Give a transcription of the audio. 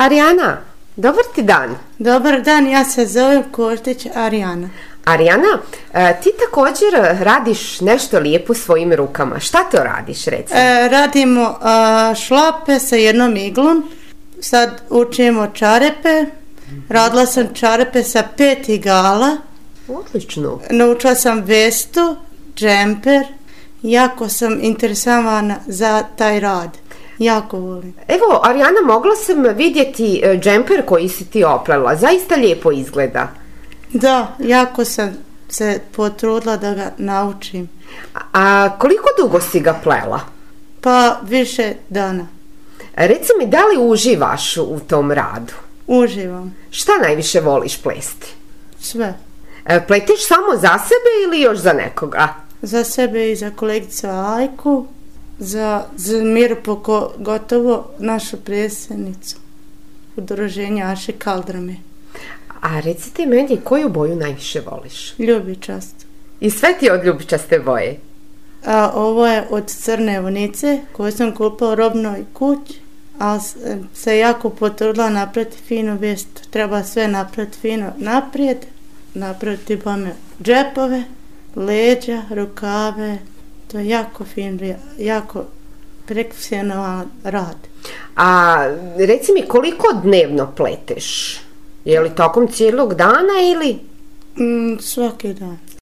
Arijana, dobar ti dan. Dobar dan, ja se zovem Koštić Arijana. Arijana, ti također radiš nešto lijepo svojim rukama. Šta to radiš, recimo? Radimo šlape sa jednom iglom. Sad učimo čarepe. Radila sam čarepe sa 5 igala. Odlično. Naučila sam vestu, džemper. Jako sam interesovana za taj rad. Jako volim. Evo, Arijana, mogla sam vidjeti džemper koji si ti oplela. Zaista lijepo izgleda. Da, jako sam se potrudila da ga naučim. A koliko dugo si ga plela? Pa više dana. Reci mi, da li uživaš u tom radu? Uživam. Šta najviše voliš plesti? Sve. Pleteš samo za sebe ili još za nekoga? Za sebe i za kolegicu Ajku, za Miru pogotovo našu predsjednicu udruženja Aše Kaldrame. A recite meni, koju boju najviše voliš? Ljubičast. I sve ti od ljubičaste boje? A ovo je od crne vunice koju sam kupila u robnoj kući, ali se jako potrudila napraviti finu vestu. Treba sve napraviti fino naprijed, napraviti bome džepove, leđa, rukave. To je jako fin, jako profesionalan rad. A reci mi, koliko dnevno pleteš? Je li tokom cijelog dana ili? Svaki dan.